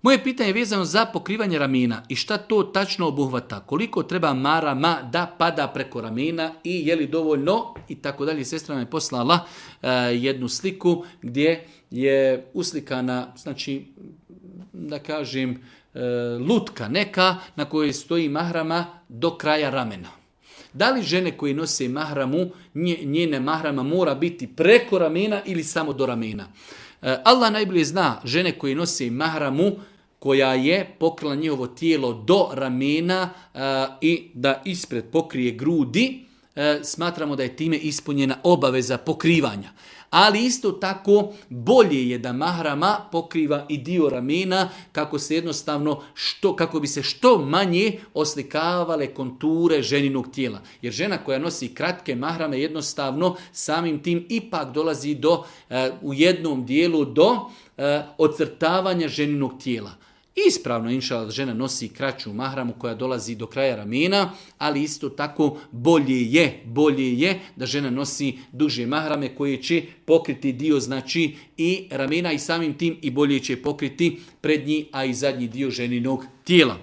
Moje pitanje je vezano za pokrivanje ramena i šta to tačno obuhvata. Koliko treba marama da pada preko ramena i je li dovoljno i tako dalje. Sestra nam je poslala jednu sliku gdje je uslikana, znači da kažem, lutka neka na kojoj stoji mahrama do kraja ramena. Da li žene koje nose mahramu, njene mahrama mora biti preko ramena ili samo do ramena? Allah najbolje zna žene koje nose mahramu koja je pokrila njihovo tijelo do ramena i da ispred pokrije grudi, smatramo da je time ispunjena obaveza pokrivanja. Ali isto tako bolje je da mahrama pokriva i dio ramena kako bi se što manje oslikavale konture ženinog tijela. Jer žena koja nosi kratke mahrame jednostavno samim tim ipak dolazi u jednom dijelu do ocrtavanja ženinog tijela. Ispravno inšallah žena nosi kraću mahramu koja dolazi do kraja ramena, ali isto tako bolje je da žena nosi duže mahrame koje će pokriti dio znači i ramena i samim tim i bolje će pokriti prednji, a i zadnji dio ženinog tijela.